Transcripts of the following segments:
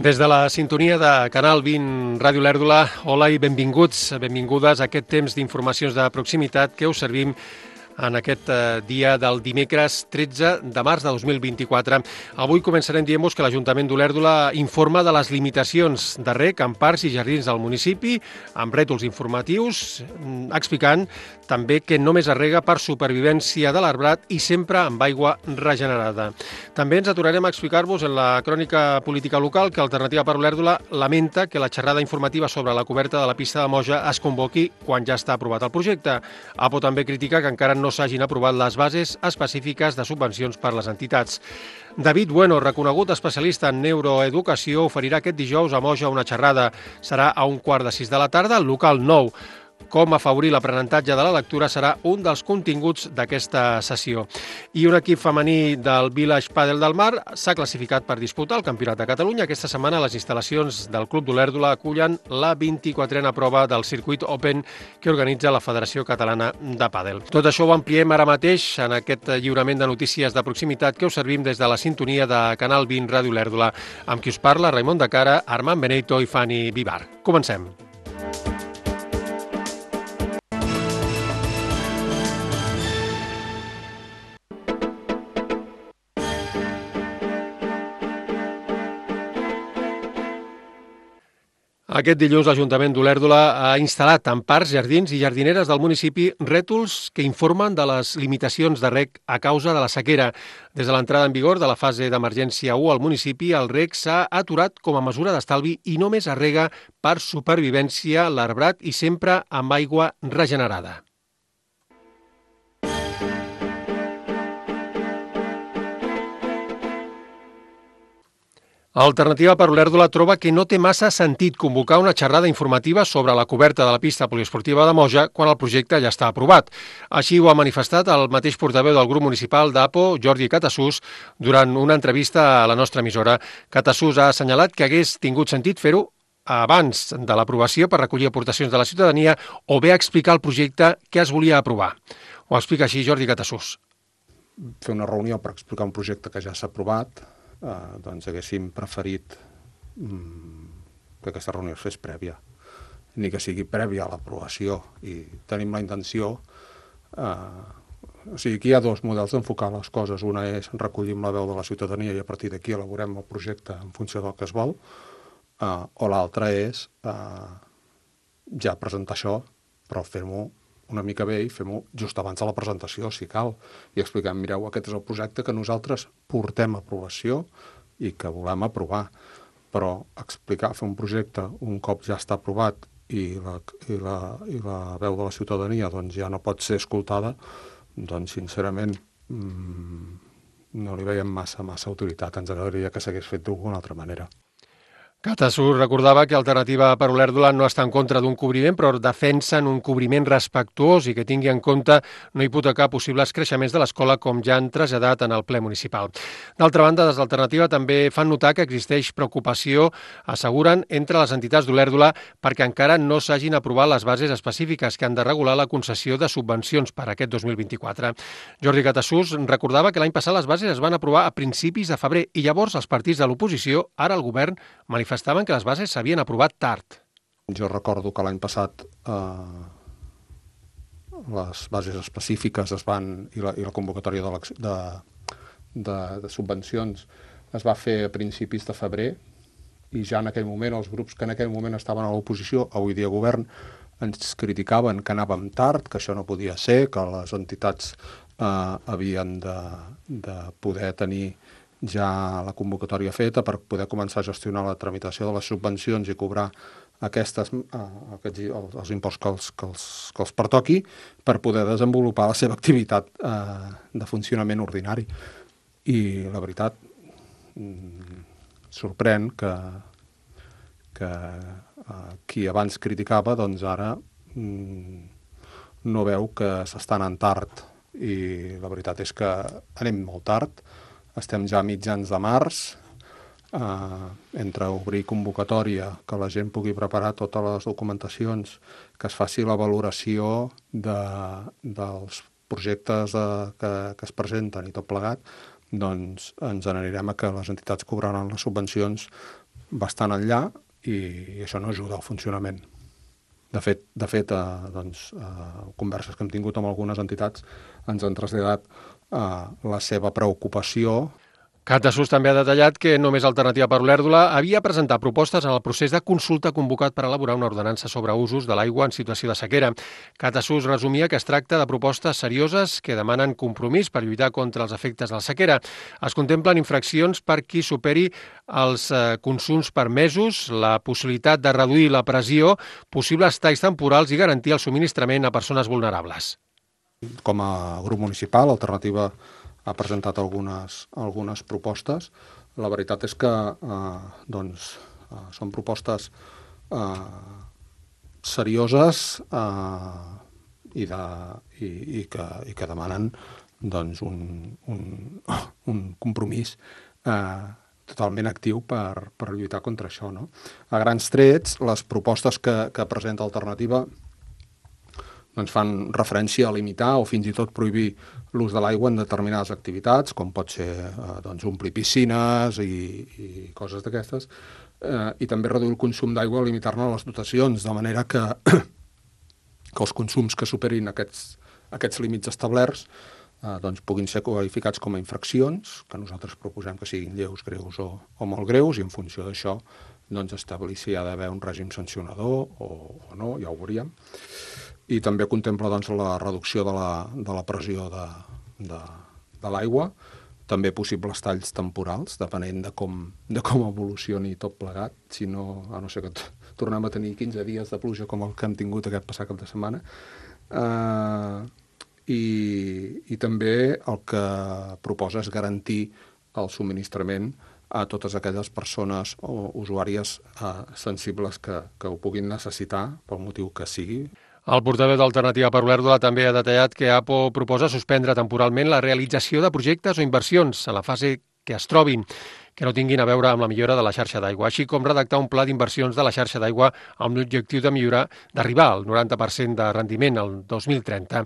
Des de la sintonia de Canal 20 Ràdio Lèrdula, hola i benvingudes a aquest temps d'informacions de proximitat que us servim en aquest dia del dimecres 13 de març de 2024. Avui començarem dient-vos que l'Ajuntament d'Olèrdola informa de les limitacions de reg en parcs i jardins del municipi, amb rètols informatius, explicant també que només es rega per supervivència de l'arbrat i sempre amb aigua regenerada. També ens aturarem a explicar-vos en la crònica política local que Alternativa per Olèrdola lamenta que la xerrada informativa sobre la coberta de la pista de Moja es convoqui quan ja està aprovat el projecte. APO també critica que encara no s'hagin aprovat les bases específiques de subvencions per les entitats. David Bueno, reconegut especialista en neuroeducació, oferirà aquest dijous a Moja una xerrada. Serà a 15:15 de la tarda al local 9. Com afavorir l'aprenentatge de la lectura serà un dels continguts d'aquesta sessió. I un equip femení del Village Padel del Mar s'ha classificat per disputar el Campionat de Catalunya. Aquesta setmana les instal·lacions del Club d'Olèrdola acullen la 24a prova del Circuit Open que organitza la Federació Catalana de Pàdel. Tot això ho ampliem ara mateix en aquest lliurament de notícies de proximitat que us servim des de la sintonia de Canal 20 Ràdio Olèrdola, amb qui us parla Raimon de Cara, Armand Benito i Fanny Vivar. Comencem. Aquest dilluns l'Ajuntament d'Olèrdola ha instal·lat en parcs, jardins i jardineres del municipi rètols que informen de les limitacions de reg a causa de la sequera. Des de l'entrada en vigor de la fase d'emergència 1 al municipi, el reg s'ha aturat com a mesura d'estalvi i només es rega per supervivència l'arbrat i sempre amb aigua regenerada. Alternativa per Olèrdola troba que no té massa sentit convocar una xerrada informativa sobre la coberta de la pista poliesportiva de Moja quan el projecte ja està aprovat. Així ho ha manifestat el mateix portaveu del grup municipal d'APO, Jordi Catassús, durant una entrevista a la nostra emissora. Catassús ha assenyalat que hagués tingut sentit fer-ho abans de l'aprovació per recollir aportacions de la ciutadania o bé explicar el projecte que es volia aprovar. Ho explica així Jordi Catassús. Fer una reunió per explicar un projecte que ja s'ha aprovat, doncs haguéssim preferit que aquesta reunió es fes prèvia, ni que sigui prèvia a l'aprovació. I tenim la intenció, o sigui, aquí hi ha dos models d'enfocar les coses. Una és recollir la veu de la ciutadania i a partir d'aquí elaborem el projecte en funció del que es vol, o l'altra és ja presentar això, però fer-ho una mica bé i fem-ho just abans de la presentació, si cal, i expliquem, mireu, aquest és el projecte que nosaltres portem a aprovació i que volem aprovar. Però explicar, fer un projecte un cop ja està aprovat i la veu de la ciutadania doncs ja no pot ser escoltada, doncs sincerament no li veiem massa utilitat. Ens agradaria que s'hagués fet d'alguna altra manera. Catassús recordava que Alternativa per Olèrdola no està en contra d'un cobriment, però defensen un cobriment respectuós i que tingui en compte no hipotecar possibles creixements de l'escola, com ja han traslladat en el ple municipal. D'altra banda, des d'Alternativa també fan notar que existeix preocupació, asseguren, entre les entitats d'Olèrdola perquè encara no s'hagin aprovat les bases específiques que han de regular la concessió de subvencions per a aquest 2024. Jordi Catassús recordava que l'any passat les bases es van aprovar a principis de febrer i llavors els partits de l'oposició, ara el govern, manifestaven que les bases s'havien aprovat tard. Jo recordo que l'any passat les bases específiques i la convocatòria de subvencions es va fer a principis de febrer i ja en aquell moment els grups que en aquell moment estaven a l'oposició, avui dia govern, ens criticaven que anàvem tard, que això no podia ser, que les entitats havien de poder tenir ja la convocatòria feta per poder començar a gestionar la tramitació de les subvencions i cobrar els imposts que els pertoqui per poder desenvolupar la seva activitat de funcionament ordinari. I la veritat, sorprèn que qui abans criticava doncs ara no veu que s'està anant tard. I la veritat és que anem molt tard. Estem ja a mitjans de març, entre obrir convocatòria, que la gent pugui preparar totes les documentacions, que es faci la valoració dels projectes que es presenten i tot plegat, doncs ens n'anirem a que les entitats cobraran les subvencions bastant enllà i això no ajuda al funcionament. De fet, converses que hem tingut amb algunes entitats ens han traslladat la seva preocupació. Catasús també ha detallat que només Alternativa per Olèrdola havia presentat propostes en el procés de consulta convocat per elaborar una ordenança sobre usos de l'aigua en situació de sequera. Catasús resumia que es tracta de propostes serioses que demanen compromís per lluitar contra els efectes de la sequera. Es contemplen infraccions per qui superi els consums permesos, la possibilitat de reduir la pressió, possibles talls temporals i garantir el subministrament a persones vulnerables. Com a grup municipal, Alternativa ha presentat algunes propostes. La veritat és que són propostes serioses i que demanen un compromís totalment actiu per lluitar contra això, no? A grans trets, les propostes que presenta Alternativa fan referència a limitar o fins i tot prohibir l'ús de l'aigua en determinades activitats, com pot ser omplir piscines i coses d'aquestes, i també reduir el consum d'aigua o limitar-ne les dotacions, de manera que els consums que superin aquests límits establerts puguin ser qualificats com a infraccions, que nosaltres proposem que siguin lleus, greus o molt greus, i en funció d'això establir si hi ha d'haver un règim sancionador o no, ja ho veuríem. I també contempla la reducció de la pressió de l'aigua, també possibles talls temporals, depenent de com evolucioni tot plegat, a no ser que tornem a tenir 15 dies de pluja com el que hem tingut aquest passat cap de setmana. I també el que proposa és garantir el subministrament a totes aquelles persones o usuàries sensibles que ho puguin necessitar pel motiu que sigui. El portaveu d'Alternativa per Olèrdola també ha detallat que APO proposa suspendre temporalment la realització de projectes o inversions en la fase que es trobin, que no tinguin a veure amb la millora de la xarxa d'aigua, així com redactar un pla d'inversions de la xarxa d'aigua amb l'objectiu d'arribar al 90% de rendiment el 2030.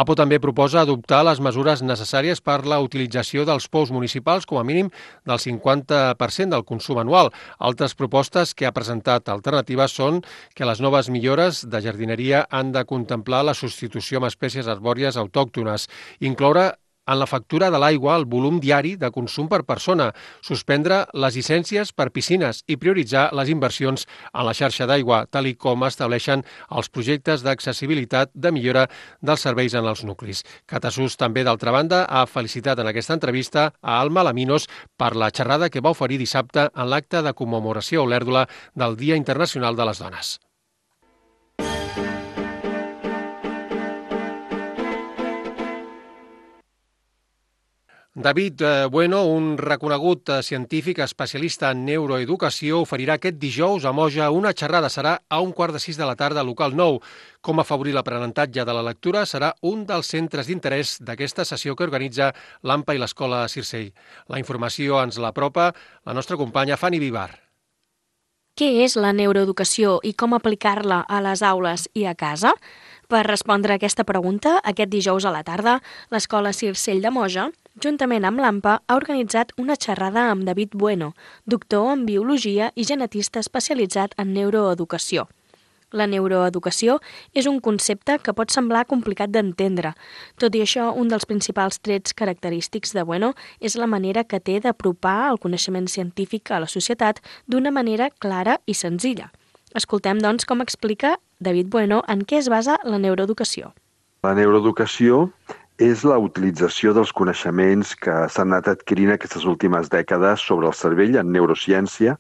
APO també proposa adoptar les mesures necessàries per la utilització dels pous municipals com a mínim del 50% del consum anual. Altres propostes que ha presentat Alternativa són que les noves millores de jardineria han de contemplar la substitució amb espècies arbòries autòctones, incloure en la factura de l'aigua el volum diari de consum per persona, suspendre les llicències per piscines i prioritzar les inversions en la xarxa d'aigua, tal i com estableixen els projectes d'accessibilitat de millora dels serveis en els nuclis. Catasús també, d'altra banda, ha felicitat en aquesta entrevista a Alma Laminos per la xerrada que va oferir dissabte en l'acte de commemoració a Olèrdola del Dia Internacional de les Dones. David Bueno, un reconegut científic especialista en neuroeducació, oferirà aquest dijous a Moja una xerrada. Serà a 5:45 de la tarda, local 9. Com afavorir l'aprenentatge de la lectura serà un dels centres d'interès d'aquesta sessió que organitza l'AMPA i l'Escola Circell. La informació ens l'apropa la nostra companya Fanny Vivar. Què és la neuroeducació i com aplicar-la a les aules i a casa? Per respondre a aquesta pregunta, aquest dijous a la tarda, l'Escola Circell de Moja, juntament amb l'AMPA, ha organitzat una xerrada amb David Bueno, doctor en Biologia i genetista especialitzat en neuroeducació. La neuroeducació és un concepte que pot semblar complicat d'entendre. Tot i això, un dels principals trets característics de Bueno és la manera que té d'apropar el coneixement científic a la societat d'una manera clara i senzilla. Escoltem, doncs, com explica David Bueno en què es basa la neuroeducació. La neuroeducació és la utilització dels coneixements que s'han anat adquirint aquestes últimes dècades sobre el cervell en neurociència,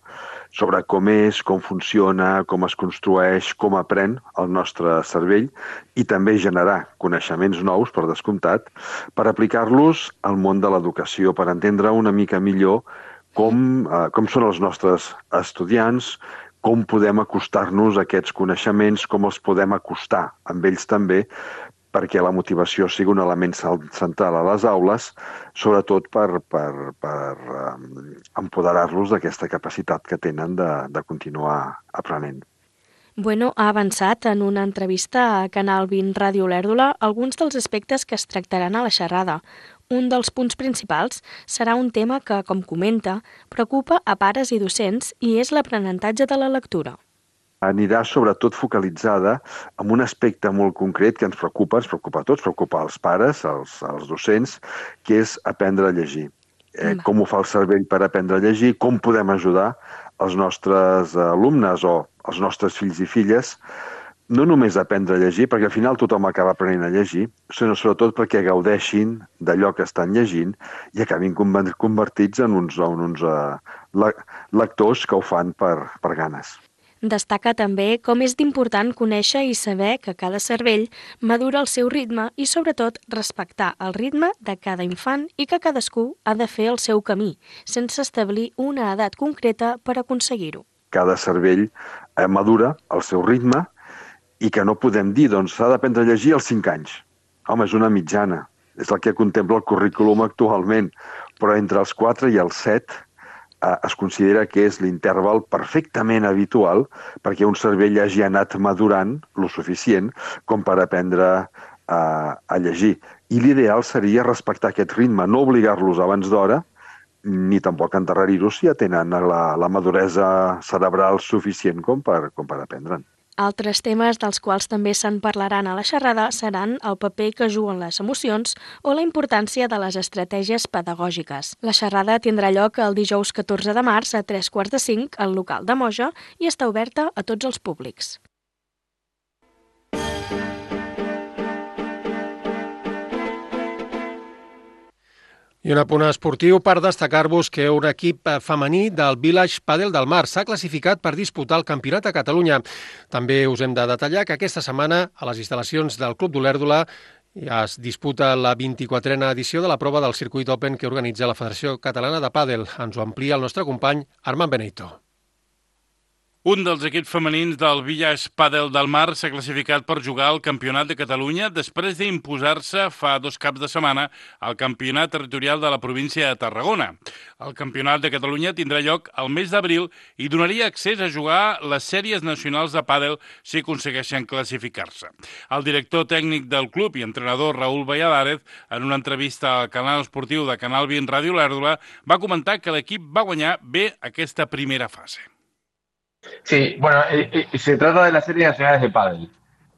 sobre com és, com funciona, com es construeix, com aprèn el nostre cervell i també generar coneixements nous, per descomptat, per aplicar-los al món de l'educació, per entendre una mica millor com són els nostres estudiants, com podem acostar-nos a aquests coneixements, com els podem acostar amb ells també, perquè la motivació sigui un element central a les aules, sobretot per empoderar-los d'aquesta capacitat que tenen de continuar aprenent. Bueno ha avançat en una entrevista a Canal 20 Ràdio Olèrdola alguns dels aspectes que es tractaran a la xerrada. Un dels punts principals serà un tema que, com comenta, preocupa a pares i docents i és l'aprenentatge de la lectura. Anirà sobretot focalitzada en un aspecte molt concret que ens preocupa a tots, preocupa als pares, als docents, que és aprendre a llegir. Com ho fa el cervell per aprendre a llegir, com podem ajudar els nostres alumnes o els nostres fills i filles no només a aprendre a llegir, perquè al final tothom acaba aprenent a llegir, sinó sobretot perquè gaudeixin d'allò que estan llegint i acabin convertits en uns lectors que ho fan per ganes. Destaca també com és d'important conèixer i saber que cada cervell madura al seu ritme i, sobretot, respectar el ritme de cada infant i que cadascú ha de fer el seu camí, sense establir una edat concreta per aconseguir-ho. Cada cervell madura al seu ritme i que no podem dir, doncs, s'ha d'aprendre a llegir als 5 anys. Home, és una mitjana. És el que contempla el currículum actualment. Però entre els 4 i els 7 es considera que és l'interval perfectament habitual perquè un cervell hagi anat madurant lo suficient com per aprendre a llegir. I l'ideal seria respectar aquest ritme, no obligar-los abans d'hora, ni tampoc endarrerir-los si ja tenen la maduresa cerebral suficient com per aprendre'n. Altres temes dels quals també se'n parlaran a la xerrada seran el paper que juguen les emocions o la importància de les estratègies pedagògiques. La xerrada tindrà lloc el dijous 14 de març a 3:45 al local de Moja i està oberta a tots els públics. I un apunt esportiu per destacar-vos que un equip femení del Village Padel del Mar s'ha classificat per disputar el Campionat de Catalunya. També us hem de detallar que aquesta setmana a les instal·lacions del Club d'Olèrdola ja es disputa la 24a edició de la prova del Circuit Open que organitza la Federació Catalana de Pàdel. Ens ho amplia el nostre company Armand Benito. Un dels equips femenins del Village Padel del Mar s'ha classificat per jugar al Campionat de Catalunya després d'imposar-se fa 2 caps de setmana al Campionat Territorial de la província de Tarragona. El Campionat de Catalunya tindrà lloc al mes d'abril i donaria accés a jugar les sèries nacionals de pàdel si aconsegueixen classificar-se. El director tècnic del club i entrenador Raúl Valladares, en una entrevista al canal esportiu de Canal 20 Ràdio Olèrdola, va comentar que l'equip va guanyar bé aquesta primera fase. Sí, bueno, se trata de las series nacionales de pádel.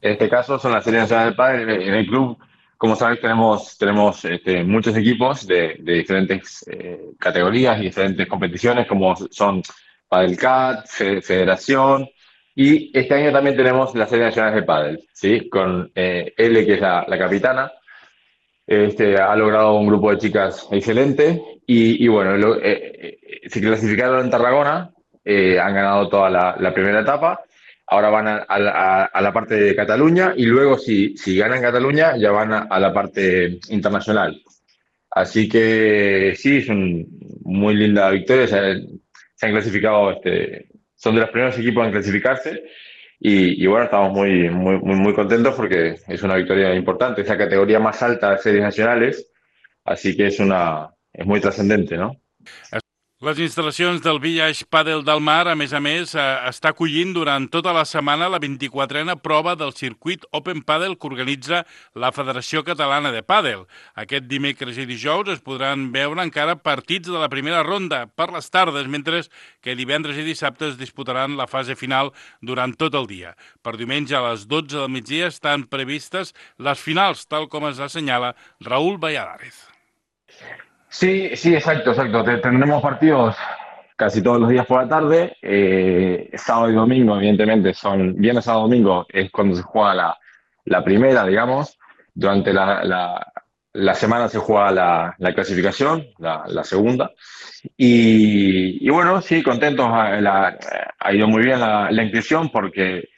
En este caso son las series nacionales de pádel. En el club, como sabéis, tenemos muchos equipos de diferentes categorías y diferentes competiciones, como son Padel Cat, Federación, y este año también tenemos las series nacionales de pádel, ¿sí? Con L, que es la capitana. Ha logrado un grupo de chicas excelente y bueno, se clasificaron en Tarragona. Han ganado toda la primera etapa, ahora van a la parte de Cataluña y luego si ganan Cataluña ya van a la parte internacional. Así que sí, es una muy linda victoria, se han clasificado, son de los primeros equipos en clasificarse y bueno, estamos muy contentos porque es una victoria importante, es la categoría más alta de series nacionales, así que es muy trascendente, ¿no? Les instal·lacions del Village Padel del Mar, a més, està acollint durant tota la setmana la 24a prova del circuit Open Padel que organitza la Federació Catalana de Pàdel. Aquest dimecres i dijous es podran veure encara partits de la primera ronda per les tardes, mentre que divendres i dissabte es disputaran la fase final durant tot el dia. Per diumenge a les 12 del migdia estan previstes les finals, tal com es assenyala Raúl Valladares. Sí, exacto. Tendremos partidos casi todos los días por la tarde. Sábado y domingo, evidentemente, son viernes, sábado, domingo es cuando se juega la primera, digamos. Durante la semana se juega la clasificación, la segunda. Y bueno, sí, contentos. Ha ido muy bien la inscripción porque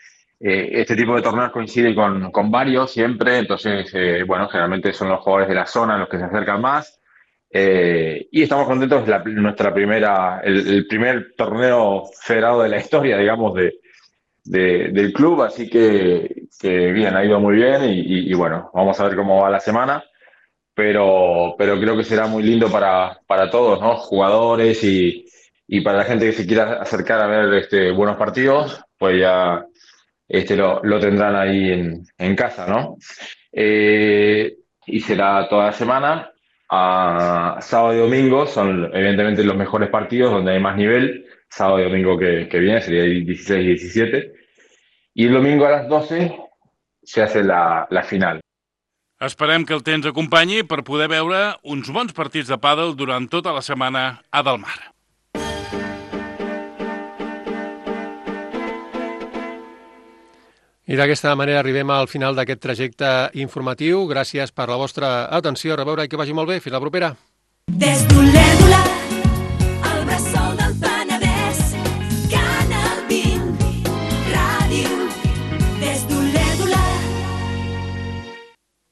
este tipo de torneos coincide con varios siempre. Entonces, bueno, generalmente son los jugadores de la zona los que se acercan más. Y estamos contentos, el primer torneo federado de la historia, digamos, del club, así que bien, ha ido muy bien y bueno, vamos a ver cómo va la semana, pero creo que será muy lindo para todos, ¿no? Jugadores y para la gente que se quiera acercar a ver buenos partidos, pues ya lo tendrán ahí en casa, ¿no? Y será toda la semana. a sábado y domingo son evidentemente los mejores partidos donde hay más nivel. Sábado y domingo que viene sería el 16 y 17. Y el domingo a las 12 se hace la final. Esperem que el temps acompanyi per poder veure uns bons partits de pàdel durant tota la setmana a Del Mar. I d'aquesta manera arribem al final d'aquest trajecte informatiu. Gràcies per la vostra atenció. A reveure i que vagi molt bé. Fins la propera.